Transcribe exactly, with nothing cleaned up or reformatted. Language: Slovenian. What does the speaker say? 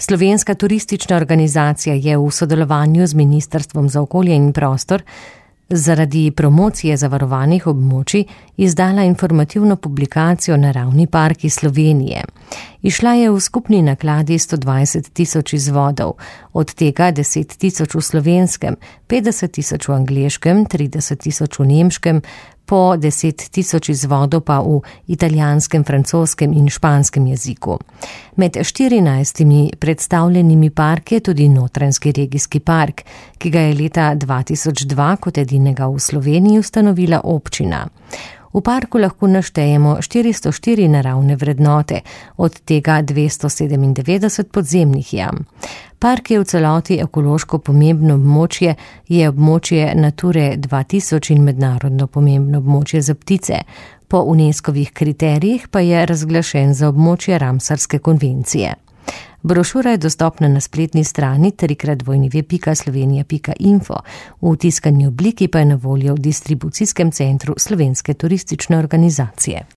Slovenska turistična organizacija je v sodelovanju z Ministrstvom za okolje in prostor zaradi promocije zavarovanih območij izdala informativno publikacijo Naravni parki Slovenije. Išla je v skupni nakladi sto dvajset tisoč izvodov, od tega deset tisoč v slovenskem, petdeset tisoč v angleškem, trideset tisoč v nemškem, po deset tisoč izvodov pa v italijanskem, francoskem in španskem jeziku. Med štirinajstimi predstavljenimi parki je tudi Notranjski regijski park, ki ga je leta dva tisoč dva kot edinega v Sloveniji ustanovila občina. V parku lahko naštejemo štiristo štiri naravne vrednote, od tega dvesto sedemindevetdeset podzemnih jam. Park je v celoti ekološko pomembno območje, je območje Nature dva tisoč in mednarodno pomembno območje za ptice. Po UNESCOvih kriterijih pa je razglašen za območje Ramsarske konvencije. Brošura je dostopna na spletni strani trikrat dvojni pika slovenija pika info, v tiskani obliki pa je na voljo v distribucijskem centru Slovenske turistične organizacije.